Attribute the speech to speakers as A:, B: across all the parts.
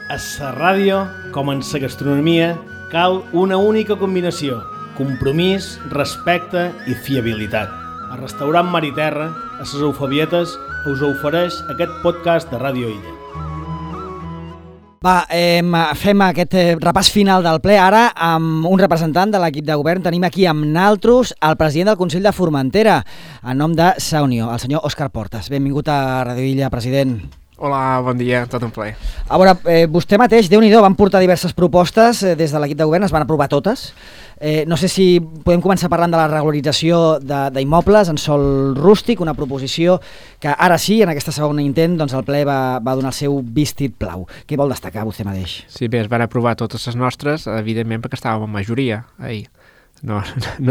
A: A la ràdio, com en la gastronomia, cal una única combinació: compromís, respecte i fiabilitat. El restaurant Mar i Terra, a les Eufebietes, us ofereix aquest podcast de Ràdio Illa.
B: Va, fem aquest repàs final del ple ara amb un representant de l'equip de govern. Tenim aquí amb naltros el president del Consell de Formentera, en nom de Sa Unió, el senyor Òscar Portas. Benvingut a Ràdio Illa, president.
C: Hola, bon dia, tot un plaer.
B: A veure, vostè mateix, Déu-n'hi-do, van portar diverses propostes des de l'equip de govern, es van aprovar totes. No sé si podem començar parlant de la regularització d'immobles en sòl rústic, una proposició que ara sí, en aquesta segona intent, doncs el ple va donar el seu vistit plau. Què vol destacar vostè mateix?
C: Sí, bé, es van aprovar totes les nostres, evidentment perquè estàvem en majoria ahir. No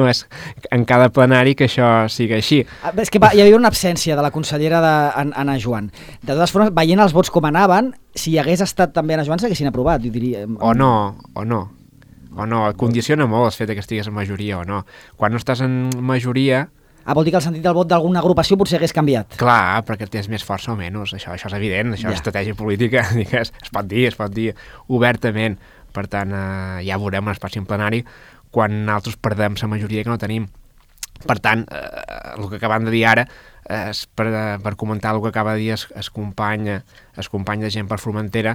C: és en cada plenari que això sigui així.
B: És que hi havia una absència de la consellera Anna Joan. De totes formes, veient els vots com anaven, si hi hagués estat també Anna Joan s'haguessin aprovat, diria.
C: O no, condiciona molt el fet que estigués en majoria o no. Quan no estàs en majoria...
B: Vol dir que el sentit del vot d'alguna agrupació potser hagués canviat.
C: Clar, perquè tens més força o menys, això és evident, això és estratègia política, es pot dir obertament. Per tant, ja veurem en el pròxim plenari quan nosaltres perdem la majoria que no tenim. Per tant, el que acabem de dir ara és per comentar el que acaba de dir el company de Gent per Formentera,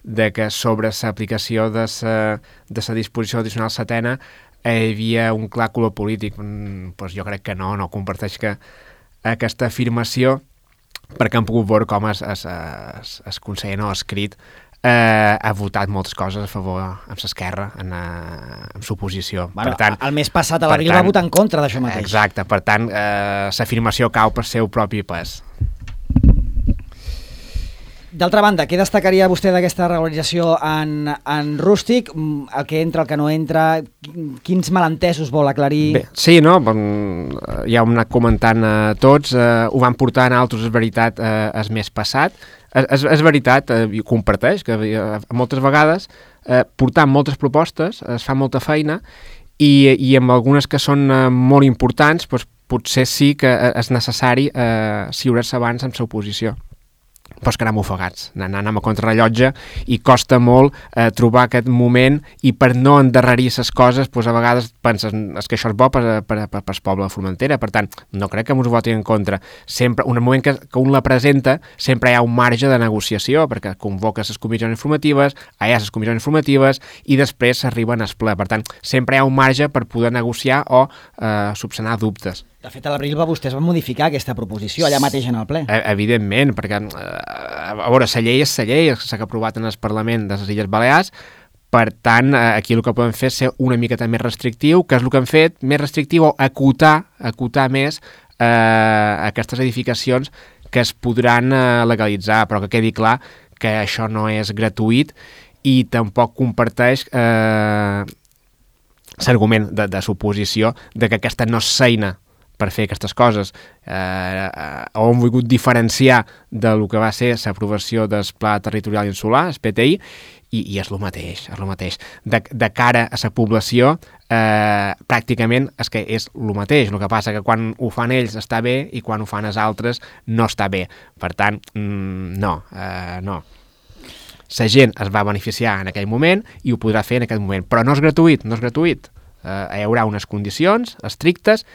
C: de que sobre l'aplicació de la disposició addicional setena hi havia un clar color polític. Pues jo crec que no comparteix que aquesta afirmació, perquè han pogut veure com el conseller no ha escrit, ha votat moltes coses a favor amb l'esquerra, amb l'oposició.
B: Bueno, el mes passat a l'abril va votar en contra d'això mateix.
C: Exacte, per tant, l'afirmació cau per seu propi pes.
B: D'altra banda, què destacaria vostè d'aquesta regularització en rústic? El que entra, el que no entra, quins malentesos vol aclarir?
C: Bé, sí, no? Ja ho hem anat comentant tots, ho van portar en altres, és veritat, el mes passat. És veritat, i comparteix, que moltes vegades portant moltes propostes es fa molta feina i amb algunes que són molt importants doncs, potser sí que és necessari ciurar-se abans amb l'oposició. Però és que anem ofegats, anem a contrarrellotge i costa molt trobar aquest moment i per no endarrerir les coses doncs a vegades penses que això és bo per al poble de Formentera. Per tant, no crec que ens ho votin en contra. Sempre, en el moment que un la presenta, sempre hi ha un marge de negociació perquè convoques les comissions informatives, hi ha les comissions informatives i després s'arriben al ple. Per tant, sempre hi ha un marge per poder negociar o subsanar dubtes.
B: De fet, a l'abril vostès van modificar aquesta proposició allà mateix en el ple.
C: Evidentment, perquè a veure, la llei és la llei, s'ha aprovat en el Parlament de les Illes Balears. Per tant, aquí el que podem fer és ser una miqueta més restrictiu, que és el que hem fet, més restrictiu o acotar més aquestes edificacions que es podran legalitzar, però que quedi clar que això no és gratuït i tampoc comparteix l'argument de l'oposició de que aquesta no és feina per fer aquestes coses. Hem volgut diferenciar del que va ser l'aprovació del Pla Territorial Insular, el PTI, i és el mateix. De cara a la població, pràcticament és que és el mateix. El que passa que quan ho fan ells està bé i quan ho fan els altres no està bé. Per tant, no. La gent es va beneficiar en aquell moment i ho podrà fer en aquest moment. Però no és gratuït. Hi haurà unes condicions estrictes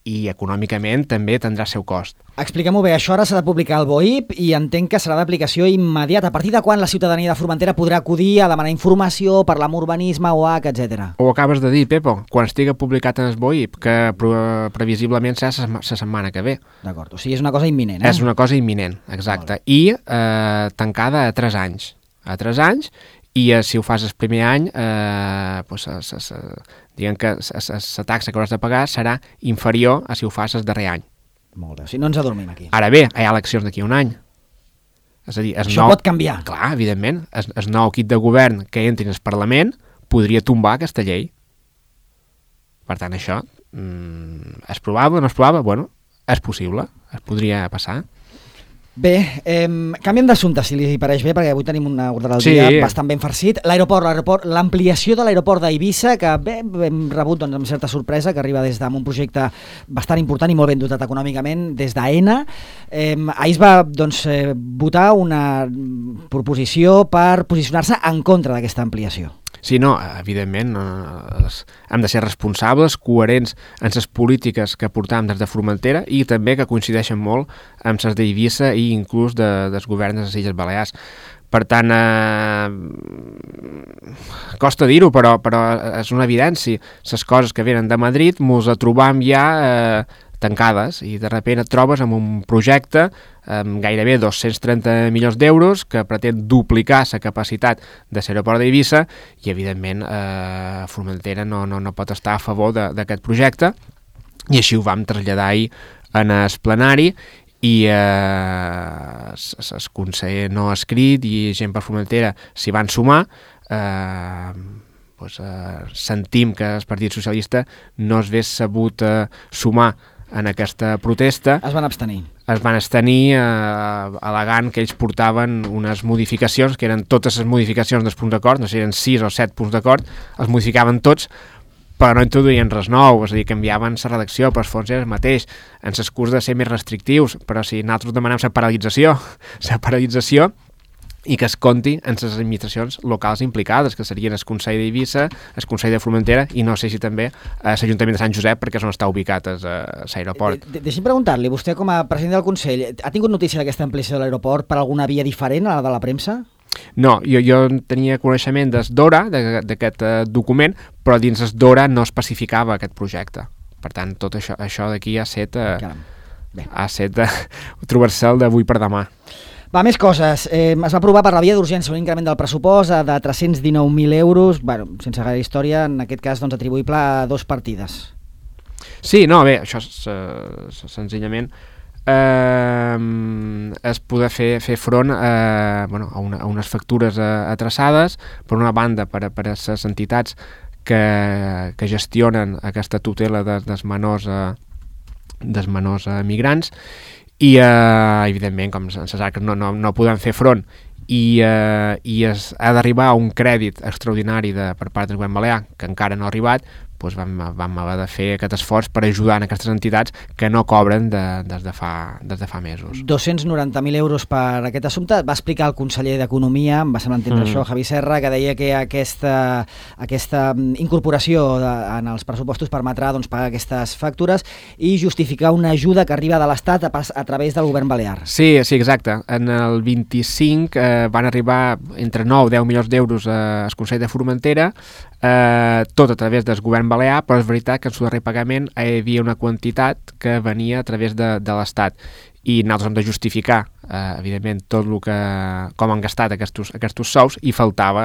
C: i econòmicament també tindrà el seu cost.
B: Expliquem-ho bé, això ara s'ha de publicar al BOIP i entenc que serà d'aplicació immediata. A partir de quan la ciutadania de Formentera podrà acudir a demanar informació, parlar amb urbanisme, OAC, etc.
C: Ho acabes de dir, Pepo, quan estigui publicat en el BOIP, que previsiblement serà la setmana que ve.
B: D'acord, o sigui, és una cosa imminent.
C: És una cosa imminent, exacte. I tancada a 3 anys. A 3 anys, i si ho fas el primer any, diguem que la taxa que hauràs de pagar serà inferior a si ho fas el darrer any.
B: Molt bé, si no ens adormim aquí.
C: Ara bé, hi ha eleccions d'aquí un any. És a dir,
B: això pot canviar.
C: Clar, evidentment, el nou equip de govern que entri en el Parlament podria tombar aquesta llei. Per tant, això és probable, no és probable? Bueno, és possible, es podria passar.
B: Bé, canviem d'assumpte, si li pareix bé, perquè avui tenim un ordre del dia bastant ben farcit. L'aeroport, l'ampliació de l'aeroport d'Eivissa, que bé, hem rebut doncs, amb certa sorpresa, que arriba des d'un projecte bastant important i molt ben dotat econòmicament, des d'AENA. Ahir es va votar una proposició per posicionar-se en contra d'aquesta ampliació.
C: Sí, no, evidentment, hem de ser responsables, coherents en les polítiques que portàvem des de Formentera i també que coincideixen molt amb les d'Eivissa i inclús dels governs de les Illes Balears. Per tant, costa dir-ho, però és una evidència. Les coses que venen de Madrid mos les trobam ja tancades i de sobte et trobes amb un projecte amb gairebé 230 milions d'euros que pretén duplicar la capacitat de l'aeroport d'Eivissa i evidentment Formentera no pot estar a favor d'aquest projecte i així ho vam traslladar ahir en el plenari i el conseller no ha escrit i gent per Formentera s'hi van sumar. Sentim que el Partit Socialista no es hagués sabut sumar en aquesta protesta.
B: Es van abstenir.
C: Es van abstenir al·legant que ells portaven unes modificacions, que eren totes les modificacions dels punts d'acord, no sé si eren 6 o 7 punts d'acord, els modificaven tots, però no introduïen res nou, és a dir, canviaven la redacció, però els fons era el mateix, en l'excurs de ser més restrictius, però si nosaltres demanem la paralització, i que es compti en les administracions locals implicades, que serien el Consell d'Eivissa, el Consell de Formentera i no sé si també l'Ajuntament de Sant Josep, perquè és on està ubicat l'aeroport.
B: Deixi'm preguntar-li, vostè com a president del Consell, ha tingut notícia d'aquesta ampliació de l'aeroport per alguna via diferent a la de la premsa?
C: No, jo tenia coneixement des d'Ora, d'aquest document, però dins des d'Ora no especificava aquest projecte. Per tant, tot això d'aquí ha set trobar-se d'avui per demà.
B: Va, més coses. Es va aprovar per la via d'urgència un increment del pressupost de 319.000 euros, sense gaire història, en aquest cas atribuïble a 2 partides.
C: Sí, no, bé, això és senzillament es poder fer front a unes factures atrasades, per una banda per a les entitats que gestionen aquesta tutela dels menors migrants, i evidentment com les arques no podem fer front i ha d'arribar a un crèdit extraordinari per part del govern balear que encara no ha arribat, doncs vam haver de fer aquest esforç per ajudar en aquestes entitats que no cobren des de fa mesos.
B: 290.000 euros per aquest assumpte. Va explicar el conseller d'Economia, em va semblar entendre això, Javi Serra, que deia que aquesta incorporació en els pressupostos permetrà pagar aquestes factures i justificar una ajuda que arriba de l'Estat a través del govern balear.
C: Sí, exacte. En el 25 van arribar entre 9 i 10 milions d'euros al Consell de Formentera, tot a través del govern balear, però és veritat que en el darrer pagament hi havia una quantitat que venia a través de l'Estat i nosaltres hem de justificar, evidentment, tot el que com han gastat aquests sous i faltava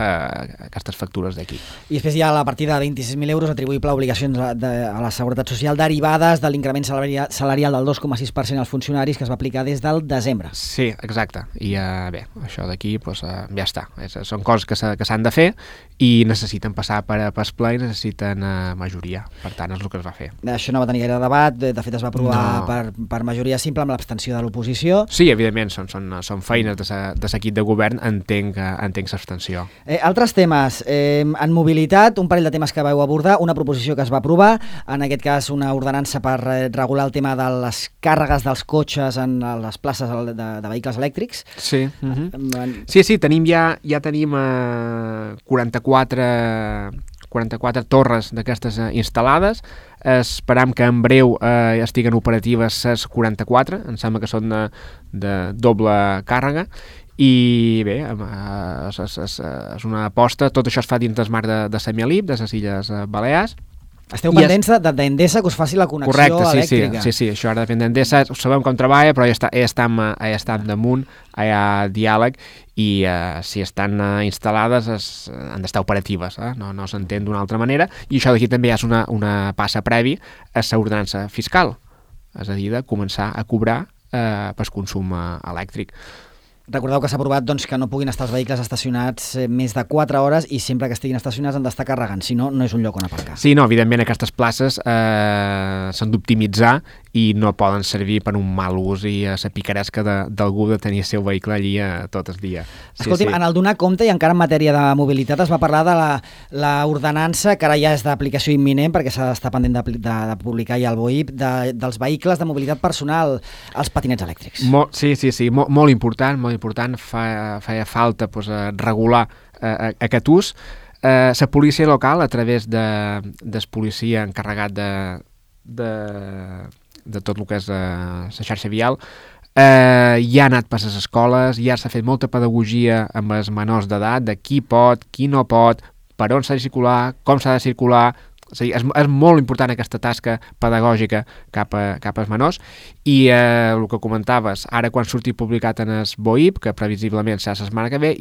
C: aquestes factures d'aquí.
B: I després hi ha la partida de 26.000 euros atribuïble a obligacions a la Seguretat Social derivades de l'increment salarial del 2,6% als funcionaris que es va aplicar des del desembre.
C: Sí, exacte. I bé, això d'aquí ja està. Són coses que s'han de fer i necessiten passar per ple i necessiten majoria. Per tant, és el que es va fer.
B: Això no va tenir gaire debat, de fet es va aprovar per majoria simple amb l'abstenció de l'oposició.
C: Sí, evidentment, són feines de l'equip de govern, entenc l'abstenció.
B: Altres temes. En mobilitat, un parell de temes que vau abordar, una proposició que es va aprovar, en aquest cas una ordenança per regular el tema de les càrregues dels cotxes en les places de vehicles elèctrics.
C: Sí, sí, ja tenim 44 torres d'aquestes instal·lades. Esperam que en breu estiguen operatives les 44, em sembla que són de doble càrrega, i bé, és una aposta, tot això es fa dins del marc de Semialip, de les Illes Balears.
B: Esteu pendents d'Endesa que us faci la connexió elèctrica.
C: Sí, això ara depèn d'Endesa, sabem com treballa, però ja estem damunt, hi ha diàleg, i si estan instal·lades han d'estar operatives, no s'entén d'una altra manera, i això d'aquí també és una passa previ a l'ordenança fiscal, és a dir, de començar a cobrar per consum elèctric.
B: Recordeu que s'ha aprovat que no puguin estar els vehicles estacionats més de 4 hores i sempre que estiguin estacionats han d'estar carregant, si no, no és un lloc on aparcar.
C: Sí, no, evidentment aquestes places s'han d'optimitzar i no poden servir per un mal ús i la picaresca d'algú de tenir el seu vehicle allí tot el dia.
B: Escolti'm, en el donar compte, i encara en matèria de mobilitat, es va parlar de la ordenança, que ara ja és d'aplicació imminent, perquè s'ha d'estar pendent de publicar ja el BOIP, dels vehicles de mobilitat personal, els patinets elèctrics.
C: Sí, molt important, feia falta regular aquest ús. La policia local, a través del policia encarregat de tot el que és la xarxa vial, ja ha anat per les escoles, ja s'ha fet molta pedagogia amb els menors d'edat, de qui pot, qui no pot, per on s'ha de circular, com s'ha de circular. És a dir, és molt important aquesta tasca pedagògica cap als menors, i el que comentaves, ara quan surti publicat en el BOIP, que previsiblement serà la setmana que ve,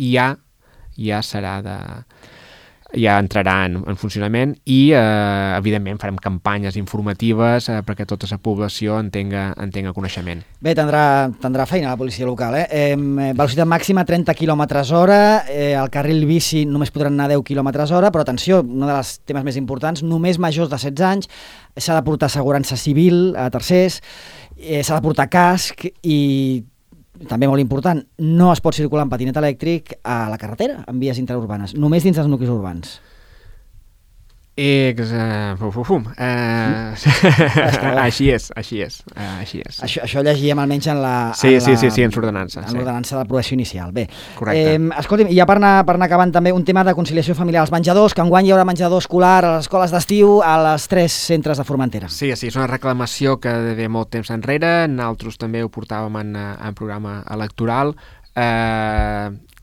C: ja entrarà en funcionament i, evidentment, farem campanyes informatives perquè tota la població en tenga coneixement.
B: Bé, tindrà feina la policia local. Velocitat màxima 30 km/h, al carril bici només podran anar 10 km/h, però atenció, un dels temes més importants, només majors de 16 anys, s'ha de portar assegurança civil a tercers, s'ha de portar casc i també molt important, no es pot circular en patinet elèctric a la carretera, en vies interurbanes, només dins dels nuclis urbans.
C: Així és.
B: Això llegíem almenys en la...
C: Sí, en l'ordenança.
B: En l'ordenança de l'aprovació inicial. Bé,
C: correcte.
B: I ja per anar acabant també un tema de conciliació familiar als menjadors, que enguany hi haurà menjador escolar a les escoles d'estiu a les 3 centres de Formentera.
C: Sí, és una reclamació que ve molt temps enrere, nosaltres també ho portàvem en programa electoral,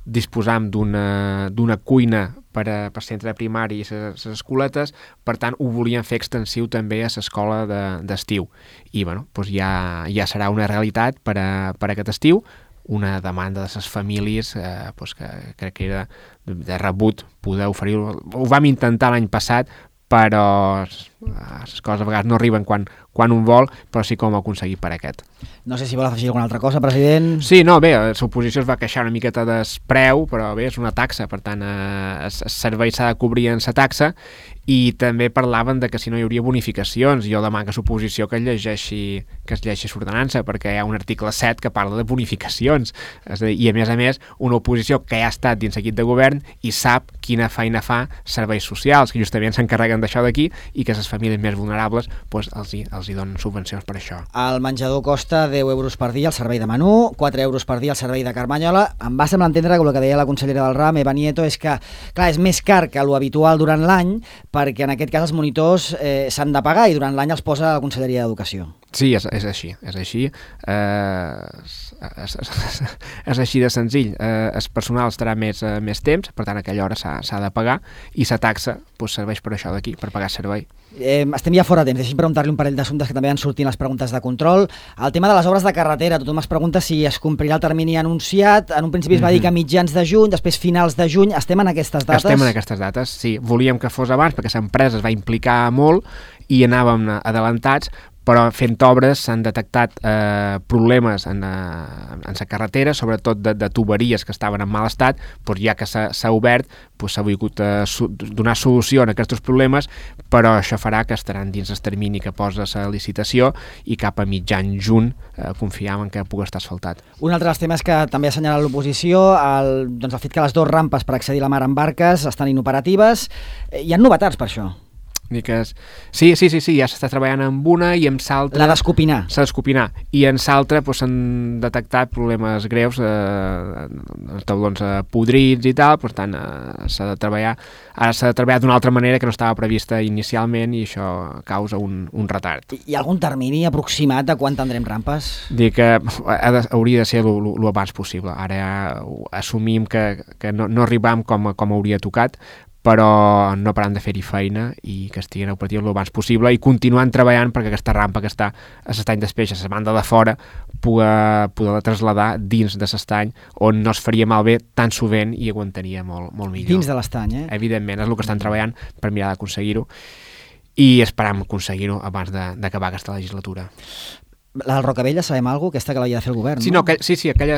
C: disposam d'una cuina per centre de primari i les escoletes, per tant ho volien fer extensiu també a l'escola d'estiu, i doncs ja serà una realitat per aquest estiu, una demanda de les famílies que crec que era de rebut poder oferir-ho. Ho vam intentar l'any passat, però les coses a vegades no arriben quan un vol, però sí com ho aconseguit per aquest.
B: No sé si vol afegir alguna altra cosa, president.
C: Sí, no, bé, l'oposició es va queixar una miqueta del preu, però bé, és una taxa, per tant, el servei s'ha de cobrir en la taxa, i també parlaven de que si no hi hauria bonificacions. Jo demano a l'oposició que es llegeixi l'ordenança, perquè hi ha un article 7 que parla de bonificacions. És a dir, i a més, una oposició que ja ha estat dins l'equip de govern i sap quina feina fa serveis socials, que justament s'encarreguen d'això d'aquí, i que les famílies més vulnerables els hi donen subvencions per això.
B: El menjador costa 10 euros per dia al servei de menú, 4 euros per dia al servei de Carmanyola. Em va semblar entendre que el que deia la consellera del RAM, Eva Nieto, és que, clar, és més car que l'habitual durant l'any, perquè en aquest cas els monitors s'han de pagar i durant l'any els posa la Conselleria d'Educació.
C: Sí, és així. És així de senzill. El personal estarà més temps, per tant, a aquella hora s'ha de pagar, i la taxa serveix per això d'aquí, per pagar servei.
B: Estem ja fora de temps, deixi'm preguntar-li un parell d'assumptes que també han sortit les preguntes de control. El tema de les obres de carretera, tothom es pregunta si es complirà el termini anunciat. En un principi es va dir que a mitjans de juny, després finals de juny. Estem en aquestes dates?
C: Estem en aquestes dates, sí. Volíem que fos abans, perquè l'empresa es va implicar molt i anàvem adelantats, però fent obres s'han detectat problemes en la carretera, sobretot de tuberies que estaven en mal estat. Ja que s'ha obert, s'ha volgut donar solució a aquests problemes, però això farà que estaran dins el termini que posa la licitació, i cap a mitjan juny confiàvem que pugui estar asfaltat. Un
B: altre dels temes que també ha assenyalat l'oposició, el fet que les 2 rampes per accedir a la mar en barques estan inoperatives. Hi ha novetats per això?
C: Sí, ja s'està treballant amb una i amb l'altra...
B: La d'escopinar.
C: S'ha d'escopinar. I en l'altra s'han detectat problemes greus, taulons podrits i tal, per tant s'ha de treballar d'una altra manera que no estava prevista inicialment, i això causa un retard.
B: Hi ha algun termini aproximat de quan tindrem rampes?
C: Dic que hauria de ser el abans possible. Ara assumim que no arribam com hauria tocat, però no param de fer-hi feina i que estiguin operatius el abans possible, i continuant treballant perquè aquesta rampa que està a l'estany d'Espeix, a la banda de fora, poder traslladar dins de l'estany, on no es faria malbé tan sovint i aguantaria molt millor.
B: Dins de l'estany,
C: Evidentment, és el que estan treballant per mirar d'aconseguir-ho, i esperam aconseguir-ho abans d'acabar aquesta legislatura.
B: La del Rocavella, sabem alguna cosa? Aquesta que l'havia de fer el govern,
C: no? Sí, aquella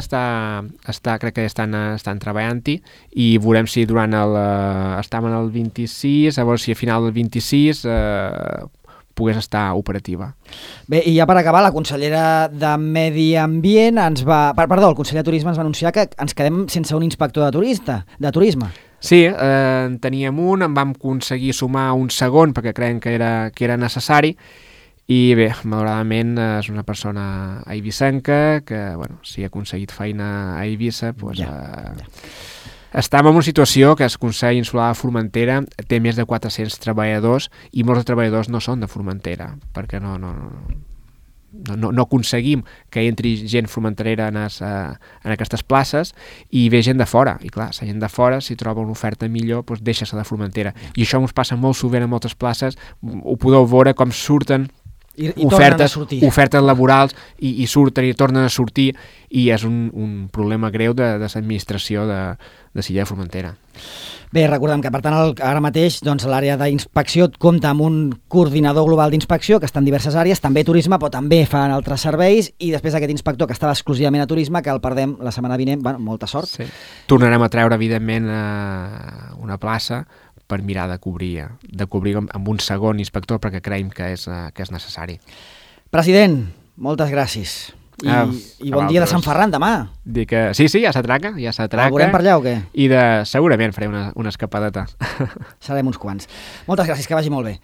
C: crec que estan treballant-hi, i veurem si durant estàvem en el 26, a veure si a final del 26 pogués estar operativa.
B: Bé, i ja per acabar, la consellera de Medi Ambient el conseller de Turisme ens va anunciar que ens quedem sense un inspector de turisme.
C: Sí, en teníem un, en vam aconseguir sumar un segon perquè creiem que era necessari, i bé, malauradament és una persona eivissenca que, bueno, si ha aconseguit feina a Eivissa, doncs... Estem en una situació que el Consell Insular de Formentera té més de 400 treballadors i molts treballadors no són de Formentera, perquè no aconseguim que entri gent formenterera en aquestes places i ve gent de fora. I clar, la gent de fora, si troba una oferta millor, doncs deixa-se de Formentera. I això ens passa molt sovint a moltes places. Ho podeu veure com surten
B: I
C: ofertes laborals i surten i tornen a sortir, i és un problema greu de l'administració de Silla de Formentera.
B: Bé, recordem que per tant ara mateix doncs, l'àrea d'inspecció compta amb un coordinador global d'inspecció que està en diverses àrees, també turisme, però també fan altres serveis, i després aquest inspector que estava exclusivament a turisme, que el perdem la setmana vinent. Bueno, molta sort.
C: Sí. Tornarem a treure, evidentment, una plaça per mirar de cobrir amb un segon inspector, perquè creiem que és necessari.
B: President, moltes gràcies. I bon dia de Sant Ferran demà.
C: Dic que sí, ja s'atraca.
B: El veurem per allà o què?
C: I segurament faré una escapadeta.
B: Serem uns quants. Moltes gràcies, que vagi molt bé.